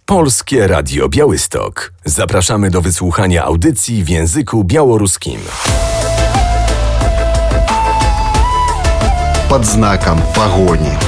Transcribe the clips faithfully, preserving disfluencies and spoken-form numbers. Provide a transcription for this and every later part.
Polskie Radio Białystok. Zapraszamy do wysłuchania audycji w języku białoruskim. Под знаком погони.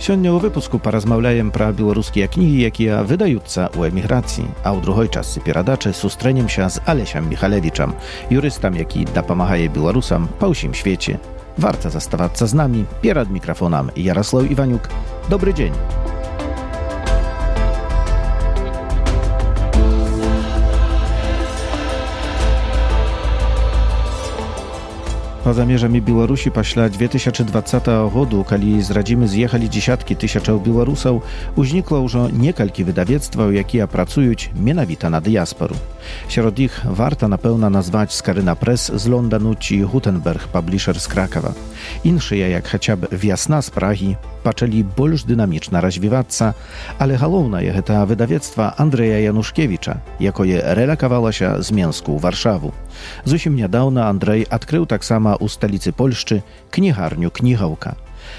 Сёння ў выпуску паразмаўляем пра беларускія кнігі, якія выдаюцца ў эміграцыі, а ў другой частцы перадачы сустрэнемся з Алесем Міхалевічам, юрыстам, які дапамагае беларусам па ўсім свеце. Варта заставацца з намі. Перад мікрафонам Ярослаў Іванюк. Добры дзень. Па-за межамі Беларусі пасля дзве тысячы дваццатага году, калі з радзімы з'ехалі дзесяткі тысячаў беларусаў, узнікла ўжо некалькі выдавецтваў, якія працуюць менавіта на дыяспару. Сярод іх варта, напэўна, назваць Скарына Прэс з Лондану ці Гутенберг Паблішэр з Кракава. Іншыя, як хаця б Вясна з Прагі, пачалі больш дынамічна развівацца, але галоўнае гэта выдавецтва Андрэя Янушкевіча, якое рэлакавалася з Менску ў Варшаву. Зусім нядаўна Андрэй адкрыў таксама у сталіцы Польшчы кнігарню «Кнігаўка».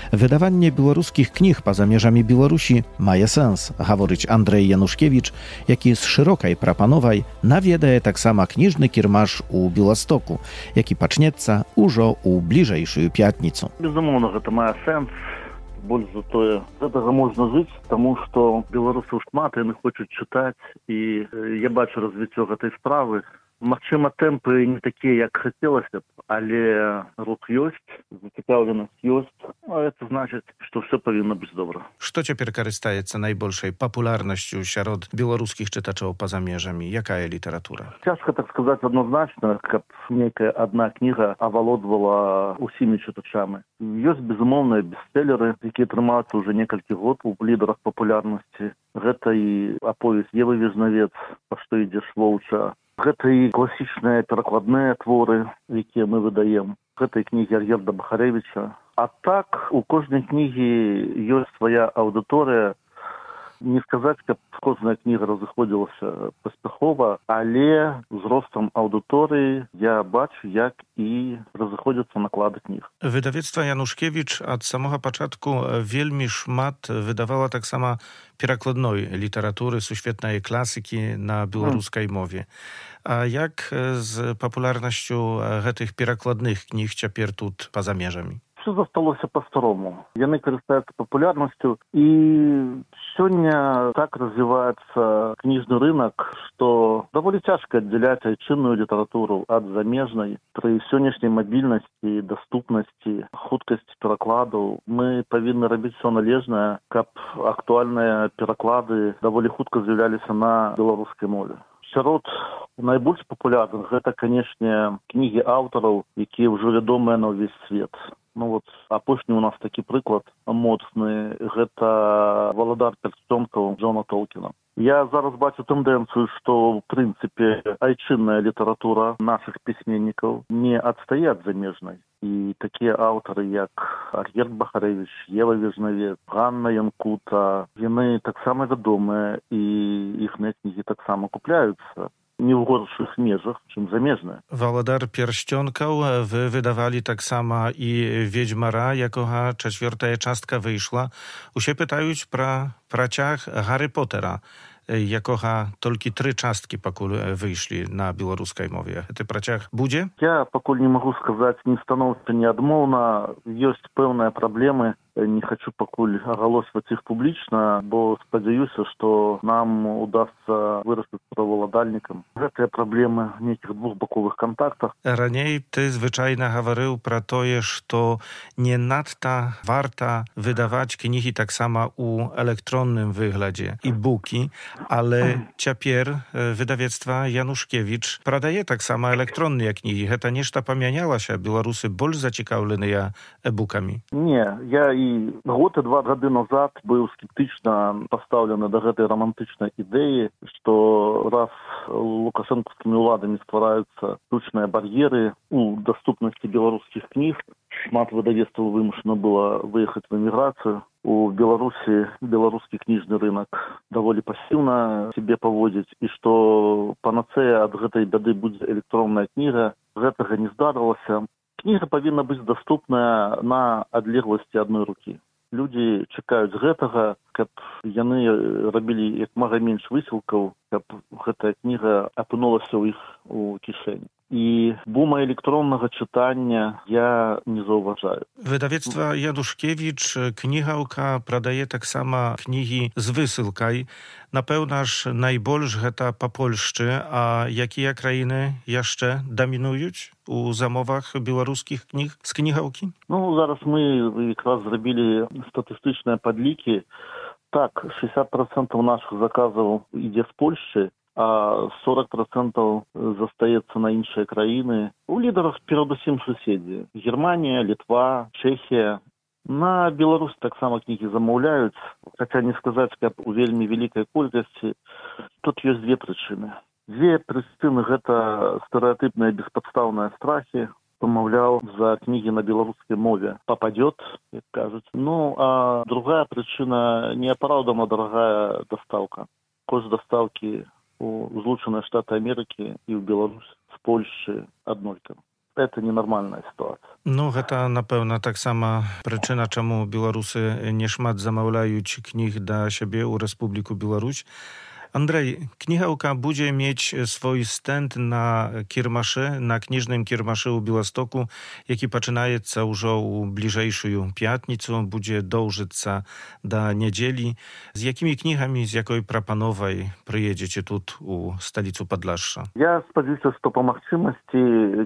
Выдаванне беларускіх кніг па-за межамі Беларусі мае сэнс, гаворыць Андрэй Янушкевіч, які з шырокай прапановай наведае таксама кніжны кірмаш у Беластоку, які пачнецца ўжо ў бліжэйшую пятніцу. Безумоўна, гэта мае сэнс. Больш за тое, гэтага можна жыць, таму што беларусаў шмат, яны хочуць чытаць, і я бачу развіццё гэтай справы. Магчыма, тэмпы не такія, як хацелася б, але рух ёсць, зацікаўленасць ёсць, а гэта значыць, што ўсё павінна быць добра. Што цяпер карыстаецца найбольшай папулярнасцю сярод беларускіх чытачоў па-за межамі? Якая літаратура? Цяжка так сказаць адназначна, каб нейкая адна кніга авалодвала ўсімі чытачамі. Ёсць, безумоўныя бестселеры, якія трымаюцца ўжо некалькі год у лідарах папулярнасці. Гэта і аповесць Евы Вежнавец, «Па што ідзеш воўча». Гэта і класічныя перакладныя творы, якія мы выдаем. Гэта і кнігі Ар'ерда Бахарэвіча. А так, у кожнай кнігі ёсць свая аўдыторыя. Не сказаць, каб кожная кніга разыходзілася паспяхова, але з ростам аўдыторыі я бачу, як і разыходзяцца наклады кніг. Выдавецтва Янушкевіч ад самога пачатку вельмі шмат выдавала таксама перакладной літаратуры, сусветнай класікі на беларускай мове. А як з папулярнасцю гэтых перакладных кніг цяпер тут па-за межамі? Все засталося па-старому. Яны карыстаюцца папулярнасцю, і сёння так развіваецца кніжны рынок, што даволі цяжка аддзяляць айчынную літаратуру ад замежнай. Пры сённяшняй мабільнасці, даступнасці, хуткасці перакладаў мы павінны рабіць все належнае, каб актуальныя пераклады даволі хутка з'яўляліся на беларускай мове. Сярод найбольш папулярных гэта, канешне, кнігі аўтараў, якія ўжо вядомыя на ўвесь свет. Ну вот, апошні у нас такі прыклад моцны, гэта «Валадар пярсцёнкаў» Джона Толкіна. Я зараз бачу тэндэнцыю, што, ў прынцыпе, айчынная літаратура нашых пісьменнікаў не адстае ад замежнай. І такія аўтары, як Ар'ерд Бахарэвіч, Ева Вежнавец, Ганна Янкута, яны таксама вядомыя, і іхныя кнігі таксама купляюцца. Не ў горшых межах, чым замежныя. «Валадар пярсцёнкаў» вы выдавалі таксама і «Ведзьмара», якога чацвёртая частка выйшла. Усе пытаюць пра працяг «Гарры Поттера», якога толькі тры часткі пакуль выйшлі на беларускай мове. Гэты працяг будзе? Я пакуль не магу сказаць ні станоўча, ні адмоўна. Ёсць пэўныя праблемы. Не хочу пакуль агалосваць іх публічна, бо спадзяюся, што нам удасца вырастаць праваладальнікам. Гэтыя праблемы в нейкіх двухбаковых кантактах. Раней ты звычайна гаварыў пра тое, што не надта варта выдаваць кнігі таксама ў электронным выглядзе, і-букі, але цяпер выдавецтва Янушкевіч прадае таксама электронныя кнігі. Гэта нешта памянялася? Беларусы больш зацікаўленыя e-букамі? Не, я і год і два гады назад быў скептычна пастаўлены да гэтай рамантычнай ідэі, што раз лукашэнкаўскімі ўладамі ствараюцца штучныя бар'еры у даступнасці беларускіх кніг, шмат выдавецтваў вымушана было выехаць в эміграцыю. У Беларусі беларускі кніжны рынок даволі пасіўна сябе паводзіць, і што панацэя ад гэтай бяды будзе электронная кніга, гэтага не здарылася. Кніга павінна быць даступная на адлегласці адной рукі. Людзі чакаюць гэтага, каб яны рабілі як мага менш высілкаў, каб гэтая кніга апынулася ў іх у кішэні. І бума электроннага чытання я не заўважаю. Wydawnictwa Januszkiewicz Knihałka pradaje tak sama knihi z wysylkaj. Напэўна ж, найбольш гэта па Польшчы, а якія краіны яшчэ дамінуюць у замовах беларускіх кніг з кнігалкі? Ну, зараз мы якраз зрабілі статыстычныя падлікі. Так, шестьдесят процентов наших заказаў ідзе з Польшчы, а сорок процентов застаецца на іншыя краіны. У лідарах перадусім суседзі. Германія, Літва, Чэхія. На Беларусь таксама кнігі замаўляюць, хаця не сказаць, каб у вельмі вялікай колькасці. Тут ёсць две прычыны. Две прычыны гэта стэрэатыпныя беспадстаўныя страхі. Помаўляў, за кнігі на беларускай мове пападёт, як кажуць. Ну, а другая прычына – неапраўдана дарагая дастаўка. Кошт дастаўкі у Злучаныя Штаты Амерыкі і ў Беларусь з Польшчы аднолькавы. Это ненармальная сітуацыя. Ну, гэта, напэўна, таксама прычына, чаму беларусы не шмат замаўляюць кніг да сябе ў Рэспубліку Беларусь. Andrzej, Knihałka będzie mieć swój stand na kiermaszy, na kniżnym kiermaszy u Białostoku, jaki zaczynaje już u bliżejszą piatnicą, będzie dążyć do niedzieli. Z jakimi knihami, z jakiej prapanowej przyjedziecie tu u stolicy Podlasza? Ja spodziewam się, że po możliwości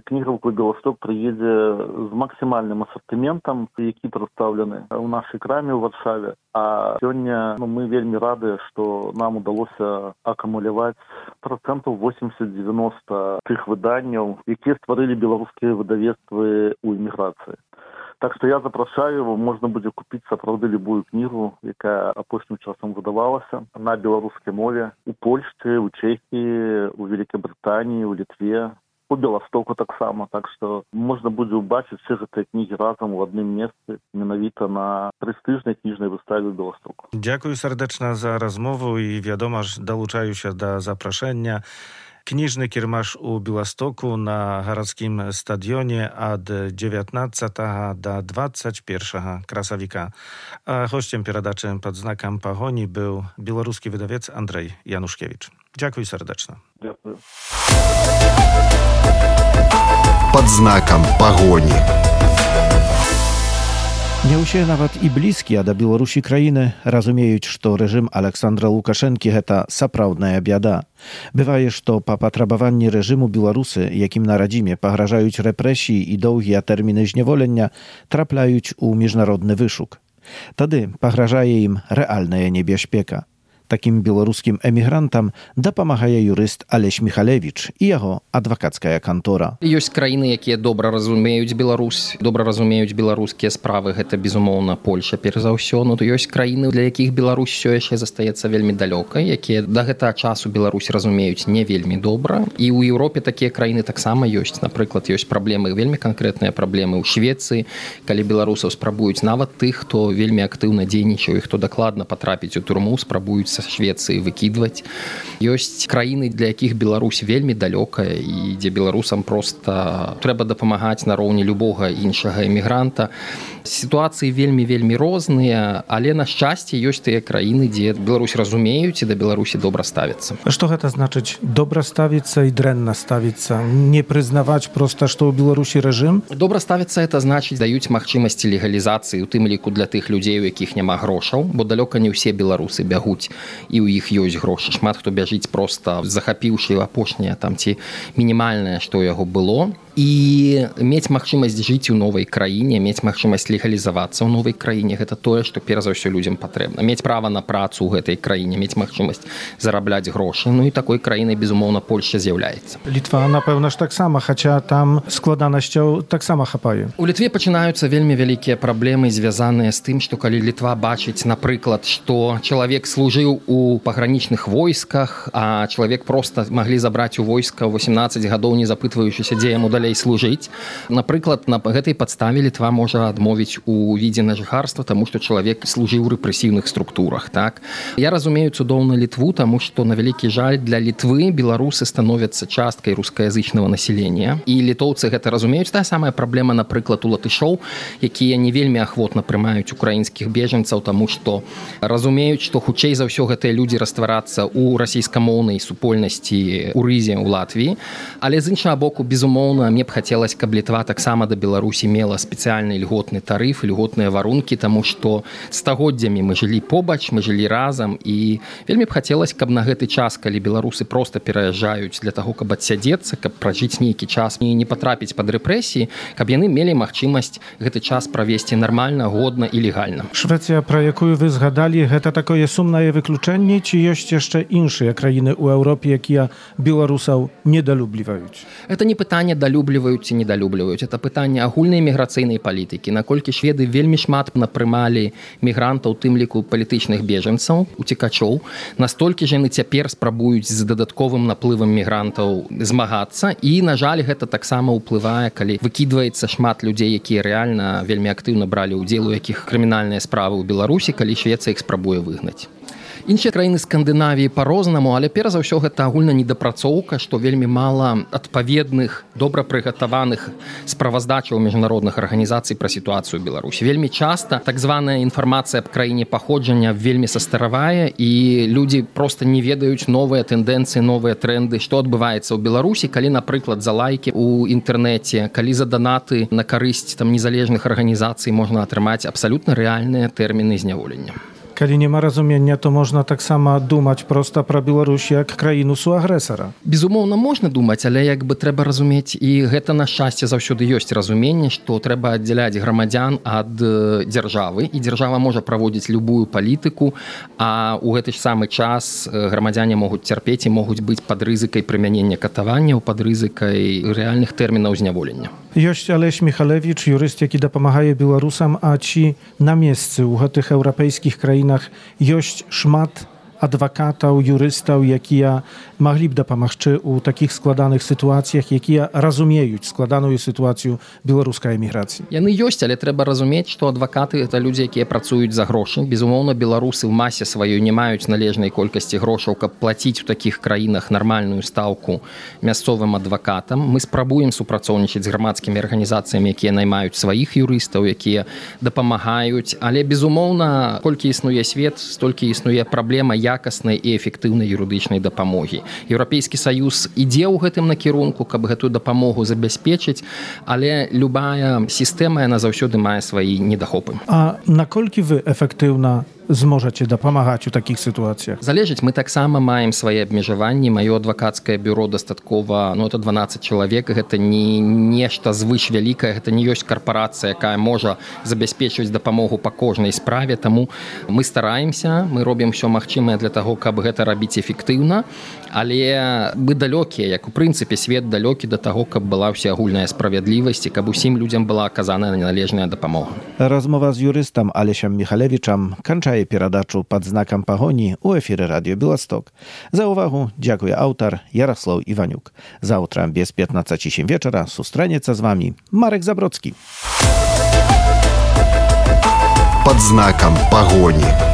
Knihałka Białostok przyjedzie z maksymalnym asortymentem, jaki przedstawiony u naszej kramie w Warszawie. A сегодня ну, мы вельмі рады, што нам удалося акумуляваць процентов восемьдесят-девяносто тых выданняў, якія стварылі беларускія выдавецтвы ў эміграцыі. Так што я запрашаю, можна будзе купіць сапраўды любую кнігу, якая апошнім часам выдавалася на беларускай мове у Польшчы, у Чэхіі, у Великабрытаніі, у Літве. У Беластоку таксама, так што можна будзе ўбачыць все гэтыя кнігі разам у адным месцы, менавіта на прэстыжнай кніжнай выставе ў Беластоку. Дзякую сардэчна за размову і, вядома ж, далучаюся да запрашэння. Кніжны кірмаш у Беластоку на гарадскім стадыёне ад dziewiętnastego do dwudziestego pierwszego красавіка. А гостем перадачы пад знакам пагоні быў беларускі выдавец Andrzej Januszkiewicz. Дзякуй сардэчна. Дзякую. Под знаком погони. Не ўсе нават і блізкія да Беларусі краіны разумеюць, што рэжым Александра Лукашэнкі гэта сапраўдная бяда. Бывае, што па патрабаванні рэжыму беларусы, якім на радзіме пагражаюць рэпрэсіі і доўгія тэрміны зняволення, трапляюць у міжнародны вышук. Тады пагражае ім рэальная небяспека. Такім беларускім эмігрантам дапамагае юрыст Алесь Міхалевіч і яго адвакацкая кантора. Ёсць краіны, якія добра разумеюць Беларусь, добра разумеюць беларускія справы. Гэта, безумоўна, Польша, перш за ўсё. Но ёсць краіны, для якіх Беларусь ўсё яшчэ застаецца вельмі далёкай, якія да гэтага часу Беларусь разумеюць не вельмі добра. І ў Еўропе такія краіны таксама ёсць. Напрыклад, ёсць праблемы, вельмі канкрэтныя праблемы ў Швецыі, калі беларусаў спрабуюць нават тых, хто вельмі актыўна дзейнічаў і хто дакладна патрапіць у турму, спрабуюць Швецыі выкідваць. Ёсць краіны, для якіх Беларусь вельмі далёкая і дзе беларусам проста трэба дапамагаць нароўні любога іншага эмігранта. Сітуацыі вельмі-вельмі розныя, але, на шчасце, ёсць тыя краіны, дзе Беларусь разумеюць і да Беларусі добра ставіцца. Што гэта значыць? Добра ставіцца і дрэнна ставіцца? Не прызнаваць проста, што ў Беларусі рэжым? Добра ставіцца, это значыць, даюць магчымасці легалізацыі, у тым ліку для тых людзей, у якіх няма грошаў, бо далёка не ўсе беларусы бягуць і ў іх ёсць грошы. Шмат хто бяжыць проста захапіўшы апошняе там ці мінімальнае, што ў яго было. І мець магчымасць жыць у новай краіне, мець магчымасць легалізавацца ў новай краіне, гэта тое, што перш за ўсё людзям патрэбна. Мець права на працу ў гэтай краіне, мець магчымасць зарабляць грошы. Ну і такой краінай, безумоўна, Польшча з'яўляецца. Літва, напэўна ж таксама, хаця там складанасцяў таксама хапае. У Літве пачынаюцца вельмі вялікія праблемы, звязаныя з тым, што калі Літва бачыць, напрыклад, што чалавек служыў у пагранічных войсках, а чалавек проста маглі забраць у войска ў восемнадцаць гадоў, не запытваючыся, дзе яму далей далей служыць. Напрыклад, на гэтай падставе Літва можа адмовіць у відзе на жыхарства, таму што чалавек служыў у рэпрэсіўных структурах. Так? Я разумею цудоўна Літву, таму што, на вялікі жаль, для Літвы беларусы становяцца часткай рускаязычнага насялення. І літоўцы гэта разумеюць. Тая самая праблема, напрыклад, у латышоў, якія не вельмі ахвотна прымаюць украінскіх бежанцаў, таму што разумеюць, што хутчэй за ўсё гэтыя людзі растварацца ў расійскамоўнай супольнасці ў рызе ў Латвіі. Але з іншага боку, безумоўна, мне б хацелася, каб Літва таксама да Беларусі мела спецыяльны льготны тарыф, льготныя варункі, таму што стагоддзямі мы жылі побач, мы жылі разам, і вельмі б хацелася, каб на гэты час, калі беларусы проста пераязджаюць для таго, каб адсядзецца, каб пражыць нейкі час і не патрапіць пад рэпрэсіі, каб яны мелі магчымасць гэты час правесці нармальна, годна і легальна. Швецыя, пра якую вы згадалі, гэта такое сумнае выключэнне, ці ёсць яшчэ іншыя краіны ў Еўропе, якія беларусаў недалюбліваюць? Это не пытанне далюбліваюць ці недалюбліваюць, это пытанне агульнай міграцыйнай палітыкі. Наколькі шведы вельмі шмат напрымалі мігрантаў, тым ліку палітычных бежанцаў, уцекачоў, настолькі ж яны цяпер спрабуюць з дадатковым наплывам мігрантаў змагацца, і, на жаль, гэта таксама ўплывае, калі выкідваецца шмат людзей, якія рэальна вельмі актыўна бралі ўдзел, у якіх крымінальныя справы ў Беларусі, калі Швецыя іх спрабуе выгнаць. Іншыя краіны Скандынавіі па-рознаму, але перш за ўсё гэта агульна недапрацоўка, што вельмі мала адпаведных, добра прыгатаваных справаздачаў міжнародных арганізацый пра сітуацыю ў Беларусі. Вельмі часта так званая інфармацыя аб краіне паходжання вельмі састаравая, і людзі проста не ведаюць новыя тэндэнцыі, новыя тренды, што адбываецца ў Беларусі, калі, напрыклад, за лайкі ў інтэрнэце, калі за данаты на карысць там незалежных арганізацый можна атрымаць абсалютна рэальныя тэрміны зняволення. Калі няма разумення, то можна таксама думаць проста пра Беларусь як краіну суагрэсара. Безумоўна, можна думаць, але як бы трэба разумець, і гэта на шчасце заўсёды ёсць разуменне, што трэба аддзяляць грамадзян ад дзяржавы, і дзяржава можа праводзіць любую палітыку, а ў гэты ж самы час грамадзяне могуць цярпець і могуць быць пад рызыкай прымянення катаванняў, пад рызыкай рэальных тэрмінаў зняволення. Ёсць Алесь Міхалевіч, юрыст, які дапамагае беларусам, а ці на месцы ў гэтых еўрапейскіх краінах ёсць шмат адвакатаў, юрыстаў, якія маглі б дапамагчы ў такіх складаных сітуацыях, якія разумеюць складаную сітуацыю беларускай эміграцыі. Яны ёсць, але трэба разумець, што адвакаты — гэта людзі, якія працуюць за грошы. Безумоўна, беларусы ў масе сваёй не маюць належнай колькасці грошаў, каб плаціць у такіх краінах нармальную стаўку мясцовым адвакатам. Мы спрабуем супрацоўнічаць з грамадскімі арганізацыямі, якія наймаюць сваіх юрыстаў, якія дапамагаюць, але, безумоўна, колькі існуе свет, столькі існуе праблема якаснай і эфектыўнай юрыдычнай дапамогі. Еўрапейскі саюз ідзе ў гэтым накірунку, каб гэтую дапамогу забяспечыць, але любая сістэма, яна заўсёды мае свае недахопы. А наколькі вы эфектыўна зможаце дапамагаць у такіх сітуацыях? Залежыць, мы таксама маем свае абмежаванні. Маё адвакацкае бюро дастаткова, ну, это дванаццаць чалавек, гэта не нешта звыш вялікае, гэта не ёсць карпорацыя, якая можа забяспечваць дапамогу па кожнай справе, таму мы стараемся, мы робім усё магчымае для таго, каб гэта рабіць эфектыўна, але мы далёкія, як у прынцыпе свет далёкі да таго, каб была ўсеагульная справядлівасць і каб усім людзям была аказаная належная дапамога. Размова з юрыстам Алесем Міхалевічам канчае перадачу «Пад знакам пагоні» у эфіры радыё Беласток. За ўвагу дзякуе аўтар Ярослаў Іванюк. Заўтра без пятнадцаці сем вечара сустранецца з вамі Марек Забродскі. «Пад знакам пагоні».